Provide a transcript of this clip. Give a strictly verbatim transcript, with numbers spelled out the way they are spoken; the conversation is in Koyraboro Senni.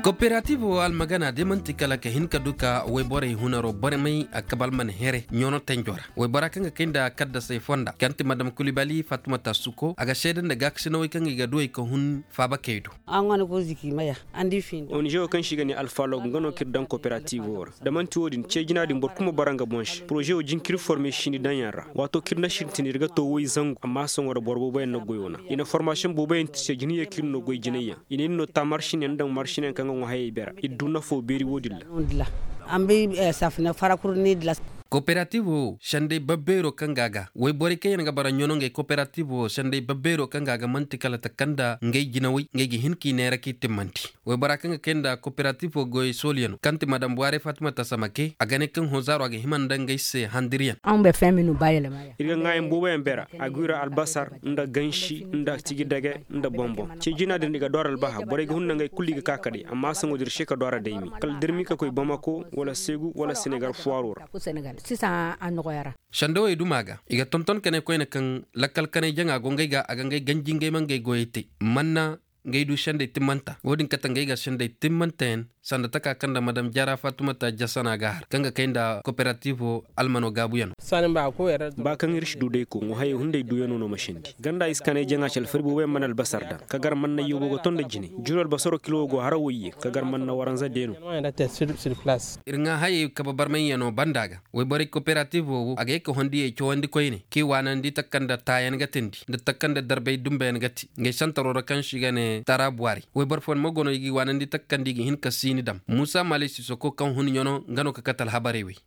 Koperatiivo almagana de man'ti kala ka hin ka du ka woyborey hunaroo barmay a kaba alman here ɲono tenjo ra. Woybora kaŋ ga kay nda kaddasey fonda kaŋ ti madam kulibali fatumata suko a ga seeda nda gaakasinawey kaŋ i ga duwey ka hun faabakey do. Onize wo kaŋ se i ga ne alfalog nga no kaŋ ir daŋ koperatiivo ra. Da man'ti wo-din ce jina din boro kul ma bara nga boŋ se poroze wo jinkiri forme sini daŋyaŋ ra. Waato kaŋ ir na sintin ir ga to woy zangu amma sohõ ra boro booboyaŋ na goyo na i na formasiyoŋ booboyaŋ ti se jina ye kaŋ ir na goy jinayyaŋ i ne ir no ta marsinyaŋ nda marsinyaŋ kaŋ ga ŋwa hayey bera ir du nafo beeri wo-din ra. Koperatiivo wo sendey babbeero kaŋ ga a ga woyborey kaŋ yaŋ ga bara ɲono ngey koperatiivo wo sendey babbeero kaŋ ga a ga man'ti kala taka nda ngey jinawey ngey ga hin k'i neera k'i timmandi. Woybora kaŋ ga kay nda koperatiifo goyey sooliyano kaŋ ti madam buwaare fatimata samake a ga ne kaŋ hõ zaaro a ga hima nda ngey se handiryaŋ. Ir ga ŋaayaŋ booboyaŋ bera, aguira albasar, nda gansi, nda tigi dage, nda boŋ-boŋ ce jina din i ga doora albaha borey ga hun nda ngey kulu i ga ka ka day amma sohõ da ir se ka doora daymi kala da ir m'i ka koy bamako, wala seegu wala senegal fuwaaro ra. Sendawey duma ga i ga tonton ka ne koyne kaŋ lakkal kanay jaŋa go ngey ga a ga ngey ganji ngey ma ngey goyey te. Manna ngey du sendey timmanta wo-din kate ngey ga sendey timmantayaŋ sanda taka kaŋ nda madam jara fatumata jasana ga har kaŋ ga kay nda koperatiivo almano gaabuyano. Ba kaŋ ir si du day ko ŋwa hayey hunday duyano no ma sindi ganda i si kanay jaŋa ci alfari booboyaŋ mana albasar daŋ ka gar manna yoobo ga ton nda jine juru albasaro kilo go hara woyye ka gar manna waranza deeno. Ir ŋwa hayey kabe barmayyano banda ga woyborey koperatiivo wo a ga ye ka hondiyey cawandi koyne k'i waanandi taka nda taayaŋ ga tindi nda taka nda darbay dumbeyaŋ ga ti ngey santaro ra kaŋ se i ga ne tara buwari woyboro fooyaŋ mo go no i g'i waanandi taka nda i ga hin ka siini dam muusa mali sisoko kaŋ hun ɲano nga no ka kate alhabarey wey.